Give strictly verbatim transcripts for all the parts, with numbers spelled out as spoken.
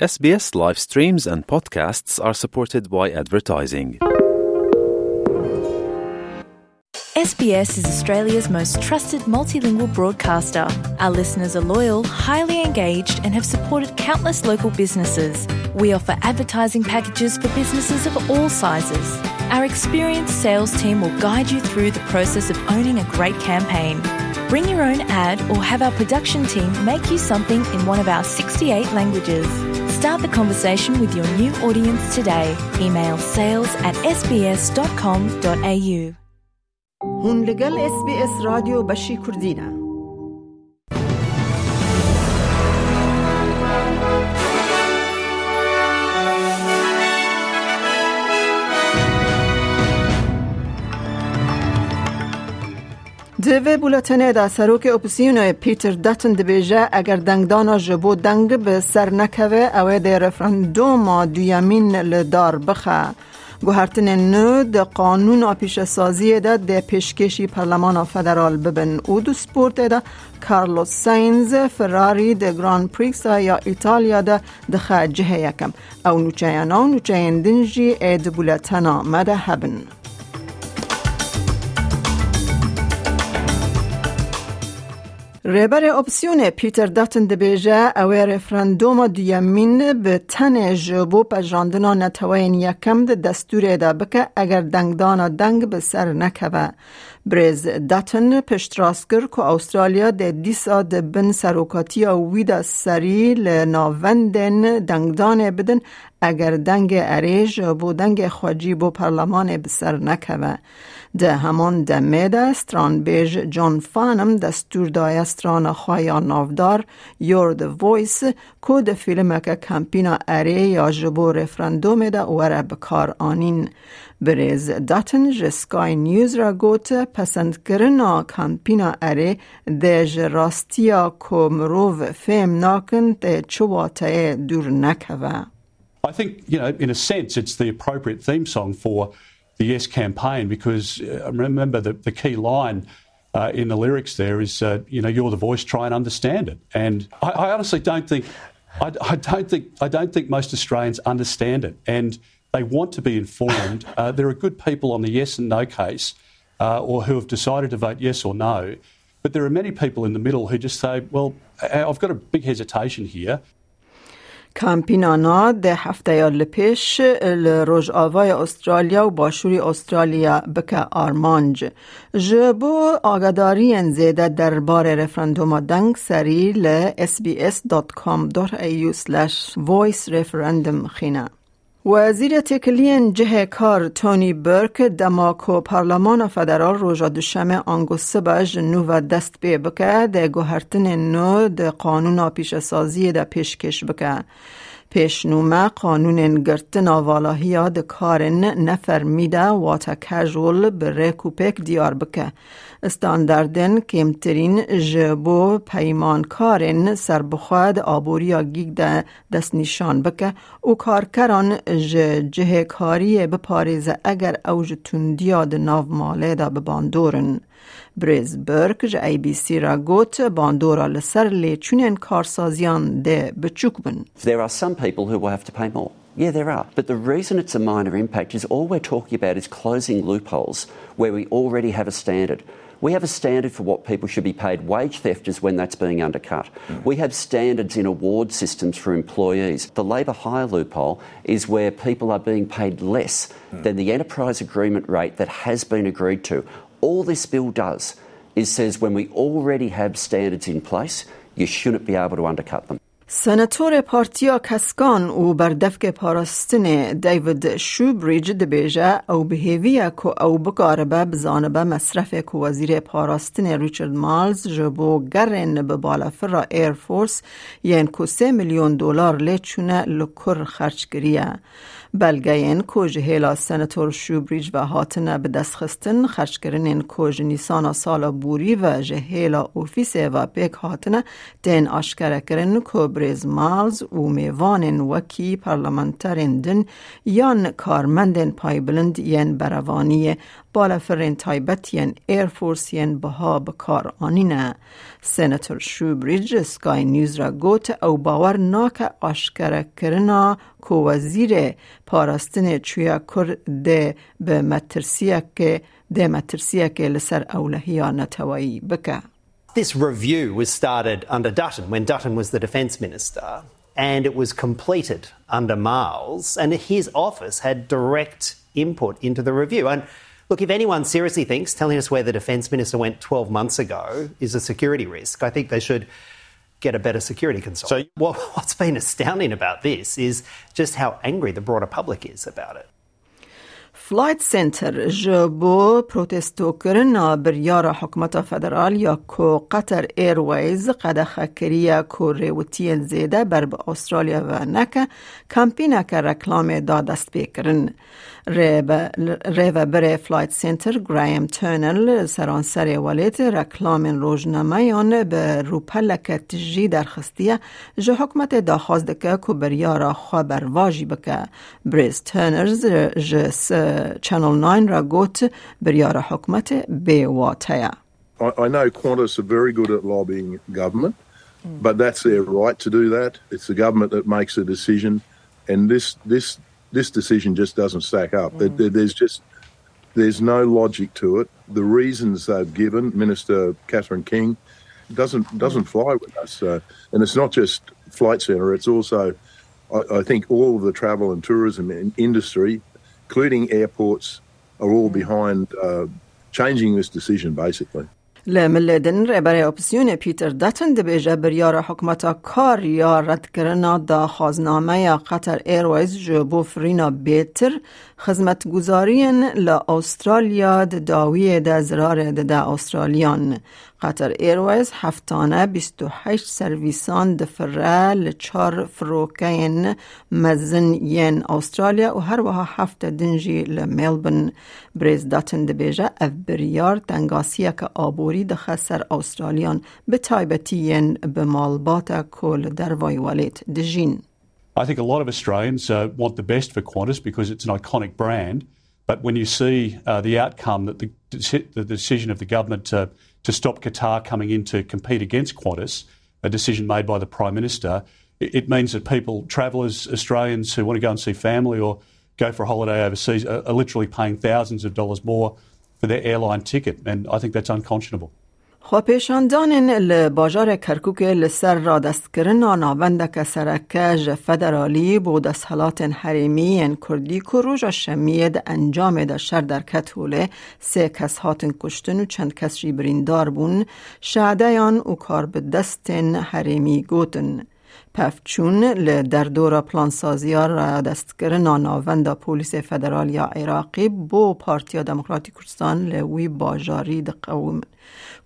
S B S live streams and podcasts are supported by advertising. S B S is Australia's most trusted multilingual broadcaster. Our listeners are loyal, highly engaged, and have supported countless local businesses. We offer advertising packages for businesses of all sizes. Our experienced sales team will guide you through the process of owning a great campaign. Bring your own ad or have our production team make you something in one of our sixty-eight languages. Start the conversation with your new audience today. Email sales at S B S dot com dot A U. Hûn li gel S B S Radyo Beşî Kurdî ne. Di vê bûletenê de serokê opozîsyonê Peter Dutton dibêje, eger dengdana ji bo deng bi ser nekeve, ew ê dê referanduma duyemîn li dar bixe. Guhertinên nû di qanûna pîşesaziyê de dê pêşkêşî Parlemana Federal bibin û di sportê de Carlos Sainz Ferrari di Grand Prix ya Îtalya de dixe cihê yekem. Ew nûçeyana û nûçeyên din jî ê di bûletena me de hebin. Rêberê opsiyonê Peter Dutton dibêje, ew ê referanduma duyemîn bi tenê ji bo pejirandina neteweyên yekem di destûrê de bike, eger dengdana deng bi ser nekeve. Birêz Dutton piştrast kir ku Awustralya dê dîsa di bin serokatiya wî de serî li navendên dengdanê bidin, eger dengê erê ji bo dengê xwecî bo perlemanê bi ser nekeve. Di heman demê de stranbêj John Farnham destûr daye strana xwe ya navdar You're the Voice, ku di fîlmeke kampîna erê ya ji bo referandumê de were bi kar anîn. Birêz Dutton ji Sky News re got, pesendkirina kampîna erê dê ji rastiya ku mirov fêm nakin tê çi wateyê dûr nekeve. I think, you know, in a sense, it's the appropriate theme song for the Yes campaign because, uh, remember the, the key line, uh, in the lyrics there is, uh, you know, "You're the voice, try and understand it." And I, I honestly don't think, I, I don't think, I don't think most Australians understand it, and they want to be informed. Uh, there are good people on the yes and no case, uh, or who have decided to vote yes or no, but there are many people in the middle who just say, "Well, I- I've got a big hesitation here." Kampîna na deh hefteya li pêş li Rojavayê Australya û Başûrî Australya bike armanc. Ji bo agadariyên zêde derbarê referanduma deng serî li S B S dot com dot A U slash voice referendum xîne. Wezîrê Têkiliyên Cihê Kar Tony Burke dema ku Parlemana Federal roja Duşemê ango sibe ji nû ve dest pê bike, dê guhertinên nû di qanûna pîşesaziyê de pêşkêş bike. Pêşnûme qanûnên girtina valahiya di karên nefermî de, wate casual, bi rêk û pêk diyar bike. Standardên kêmtirîn ji bo peymankarên serbixwe di aboriya gîg de destnîşan bike û karkeran ji cihêkariyê biparêze eger ew ji tundiya di nav malê de bi bandor in. Birêz Burke ji A B C re got, bandora li ser lêçûnên karsaziyan dê biçûk bin. There are some people who will have to pay more. Yeah, there are. But the reason it's a minor impact is all we're talking about is closing loopholes where we already have a standard. We have a standard for what people should be paid. Wage theft is when that's being undercut. We have standards in award systems for employees. The labour hire loophole is where people are being paid less than the enterprise agreement rate that has been agreed to. All this bill does is says when we already have standards in place, you shouldn't be able to undercut them. Senatorê Partiya Keskan û Berdevkê Parastinê David Shoebridge dibêje, ew bi hêvî ye ku ew bikaribe bizanibe mesrefê ku Wezîrê Parastinê Richard Marles ji bo gerên bi balafira Air Force yên ku sê milyon dolar lê çûne li kur xerc kiriye. Belgeyên ku ji hêla Senator Shoebridge ve hatine bidestxistin, xerckirinên ku ji Nîsana sala borî ve ji hêla ofîsê ve pêk hatine, tên aşkerekirin ku Rêz Miles û mêvanên wekî parlamenterên din yan karmendên paybilind yên berevaniyê, balefirên taybet yên Air Force yên biha bi kar anîne. Senator Shoebridge Sky News re got, ew bawer nake aşkerekirina ku wezîrê parastinê çûye kur dê bi metirsiyekê, dê metirsiyekê li ser ewlehiya neteweyî bike. This review was started under Dutton when Dutton was the defence minister, and it was completed under Marles, and his office had direct input into the review. And look, if anyone seriously thinks telling us where the defence minister went twelve months ago is a security risk, I think they should get a better security consultant. So what, what's been astounding about this is just how angry the broader public is about it. Flight Centre ji bo protestokirina biryara hikûmeta federal ya ku Qatar Airways qedexe kiriye ku rêwitiyên zêde ber bi Australya ve neke, kampîneke reklamê da destpêkirin. Rêbe-, rêvebirê Flight Centre Graham Turner li seranserê welêt reklamên rojnameyan bi rûpeleke tijî derxistiye, ji hikûmetê daxwaz dike ku biryara xwe bervajî bike. Birêz Turner ji, ji s-, Channel Nine re got, biryara hikûmetê bê wate ye. I, I know Qantas are very good at lobbying government, but that's their right to do that. It's the government that makes the decision, and this, this, this decision just doesn't stack up. There, there- there's just, there's no logic to it. The reasons they've given, Minister Catherine King, doesn't, doesn't fly with us. Uh, and it's not just Flight Centre, it's also, I, I think, all of the travel and tourism in- industry, including airports, are all behind, uh, changing this decision, basically. Li milê din, rêberê opozîsyonê Peter Dutton dibêje, biryara hikûmeta kar ya redkirina daxwaznameya Qatar Airways ji bo firîna bêtir xizmetguzariyên li Australya di dawiyê de zirarê dide Australiyan. Qatar Airways heftane bîst û heşt servîsan difire li çar firokeyên mezin yên Australya û her wiha hefte din jî li Melbourne. Birêz Dutton dibêje, ev biryar tengasiyeke aborî dixe ser Australiyan, bi taybetî yên bi malbata ku li dervayî welêt dijîn. I think a lot of Australians, uh, want the best for Qantas because it's an iconic brand. But when you see, uh, the outcome that the, deci- the decision of the government to, to stop Qatar coming in to compete against Qantas, a decision made by the Prime Minister, it, it means that people, travellers, Australians who want to go and see family or go for a holiday overseas, are, are literally paying thousands of dollars more for their airline ticket. And I think that's unconscionable. Xwepêşandanên li bajarê Kerkûkê li ser radestkirina navendeke sereke ji federalî bo desthilatên herêmî yên Kurdî ku roja Şemiyê di encamê de şer derket holê, sê kes hatin kuştin û çend kes jî birîndar bûn, şadeyan û karbidestên herêmî gotin. Pevçûn li derdora plansaziya radestkirina navenda Polîsê Federal ya Iraqî bo Partiya Demokratîk Kurdistan li wî bajarî diqewimin,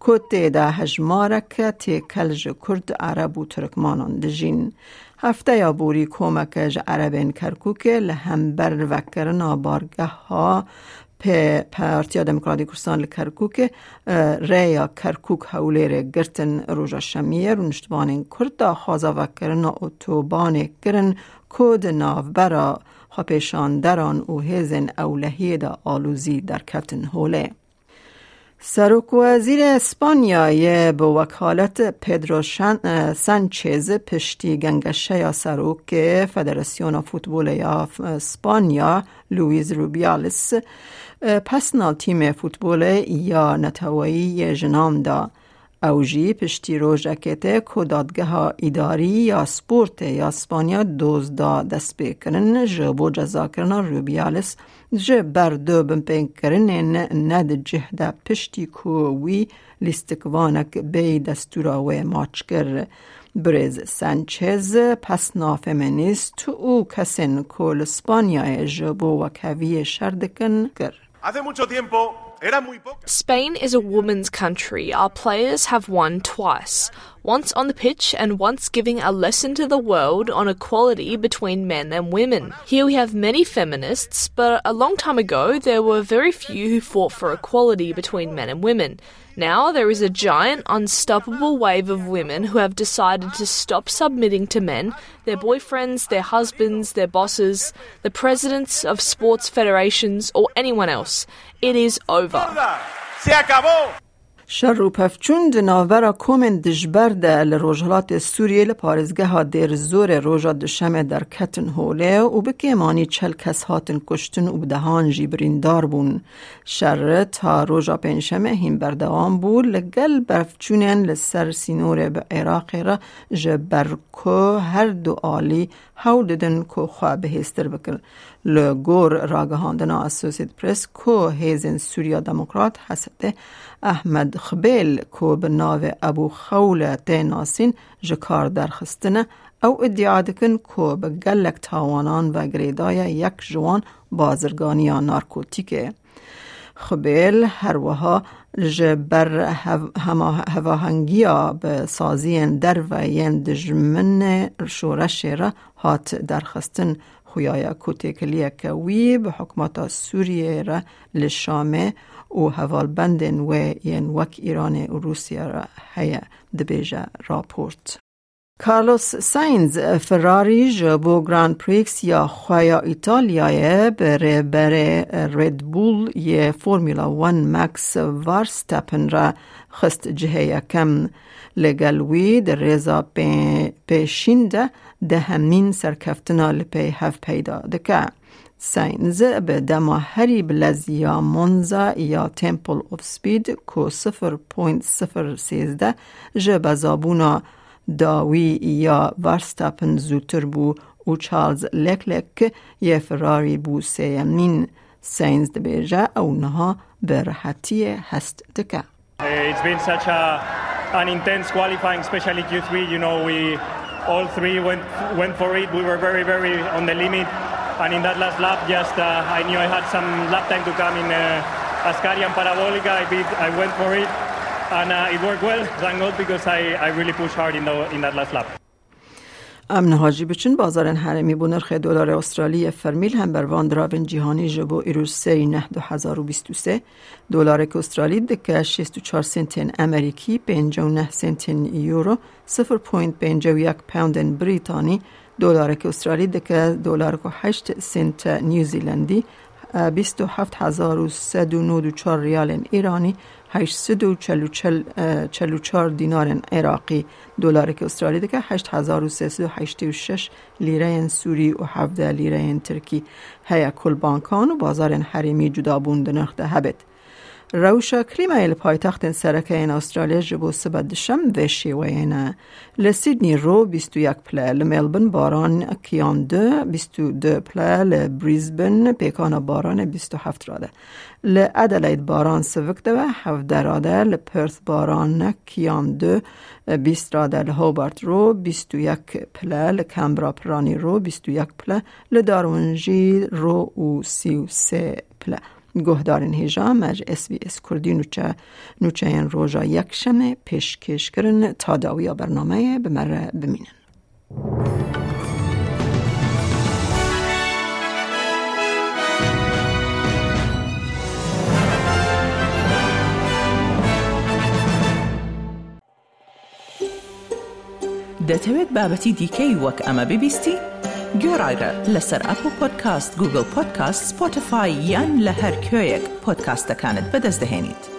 ku tê de hejmareke têkel ji Kurd, Ereb û Tirkmanan dijîn. Hefteya borî komeke ji Erebên Kerkûkê li hember vekirina bargeha P-, Partiya Demokratîk Kurdistan li Kerkûkê, e, rêya Kerkûk Hewlêrê girtin. Roja Şemiyê rûniştvanên Kurd daxwaza vekirina otobanê kirin ku di navbera xwepêşanderan û hêzên ewlehiyê de alozî derketin holê. Serokwezîrê Spanyayê bi wekalet Pedro Şan-, e, Sanchez piştî gengeşeya serokê Federasyona Futbolê ya F-, Spanya, Luis Rubiales, e, pesna tîmê futbolê ya neteweyî yê jinan da. Ew jî piştî rojekê tê ku Dadgeha Îdarî ya Sportê ya Spanya doz da destpêkirin ji bo cezakirina Rubiales ji ber du binpêkirinên ne di cih de, piştî ku wî lîstikvanek bêyî destûra wê maç kir. Birêz Sanchez pesna feminîst û kesên ku li Spanyayê ji bo wekheviyê şer dikin kir. Hace mucho tiempo eran muy pocas. Spain is a women's country. Our players have won twice. once on the pitch and once giving a lesson to the world on equality between men and women. Here we have many feminists, but a long time ago there were very few who fought for equality between men and women. Now there is a giant, unstoppable wave of women who have decided to stop submitting to men, their boyfriends, their husbands, their bosses, the presidents of sports federations, or anyone else. It is over. Şer û pevçûn di navbera komên dijber de li rojhilatê Sûriyê li parêzgeha Dêr Zorê roja Duşemê derketin holê û bi kêmanî çel kes hatin kuştin û bi dehan jî birîndar bûn. Şer ta roja Pêncşemê hîn berdewam bû, li gel berfçûnên li ser sînorê bi Iraqê re, ji ber ku her du alî hewl didin ku xwe bihêztir bikin. Li gor ragihandina Associated Press, ku Hêzên Sûriya Demokrat, H S D, Ahmed Xbêl, ku bi navê Ebû Xewle tê nasîn, ji kar derxistine, ew îdia dikin ku bi gelek tawanan ve girêdaye, yek ji wan bazirganiya narkotîk e. Xbêl her wiha ji ber hev-, hema-, hevahengiya bi saziyên derve yên dijminê şoreşê re hat derxistin. Xuya ye ku têkiliyeke wî bi hikûmeta Sûriyê re li Şamê û hevalbendên wê yên wek Îranê û Rûsya re heye, dibêje raport. Carlos Sainz Ferrari ji bo Grand Prix ya xwe ya Îtalyayê bi rêberê Red Bull yê Formula One Max Verstappen re xist cihê yekem. Li gel wî di rêza pê-, pêşîn de dehemîn serkeftina li pey hev peyda dike. Sainz bi dema herî bilez ya Monza ya Temple of Speed ku sifir point sifir sêzdeh ji bezabûna dawî ya Verstappen zûtir bû û Charles Leclerc yê Ferrari bû sêyemîn. Sainz dibêje ew niha bi rehetiyê hest dike. Uh, It's been such a, an intense qualifying, especially Q three. You know, we all three went went for it. We were very, very on the limit, and in that last lap, just uh, I knew I had some lap time to come in uh, Ascari and Parabolica. I did, I went for it, and uh, it worked well. Thank God, because I, I really pushed hard in the in that last lap. Em niha jî biçin bazarên herêmî. Bo nirxê dolarê Australî yê fermî li hember van diravên cîhanî ji bo îroj sêyî neh du hezar û bîst û sê, dolarek Australî dike şêst û çar sentên Amerîkî, pêncî û neh sentên Euro, sifir point pêncî û yek poundên Brîtanî, dolarek Australî dike dolarek û heşt sente New Zealandî, bîst û heft hezar û sed û nod û çar riyalên Îranî, heşt sed û çel û çar dînarên Iraqî, dolarek Australî dike heşt hezar û sê sed û heştê û şeş lîreyên Sûrî û hevdeh lîreyên Tirkî. Heye ku li bankan û bazarên herêmî cudabûn di nirx de hebêt. Rewşa klîmayê li paytextên sereke yên Australya ji bo sibe dişem vê şêweyê ne. Li Sydney ro bîst û yek pile, li Melbourne baran kiyan du, bîst û du pile, li Brisbane pêkana baranê bîst û heft rade. Li Adelaide baran sivik de ve hevdeh rade, li Perth baran kiyan du, bîst rade, li Hobart ro bîst û yek pile, li Canberra piranî ro bîst û yek pile, li Darwin jî ro û sî û sê pile. Guhdarên hêja me ji S B S Kurdî nûçe, nûçeyên roja Yekşemê pêşkêş kirin. Ta dawiya bernameyê bi me re bimînin. دەتەوێت بابەتی دیکەی وەک ئەمە ببیستی؟ گوێڕایرە لەسەر ئەپڵ پۆدکاست، گوگڵ پۆدکاست، سپۆتیفای یان لە هەر کوێیەک پۆدکاستەکانت بەدەست دەهێنیت.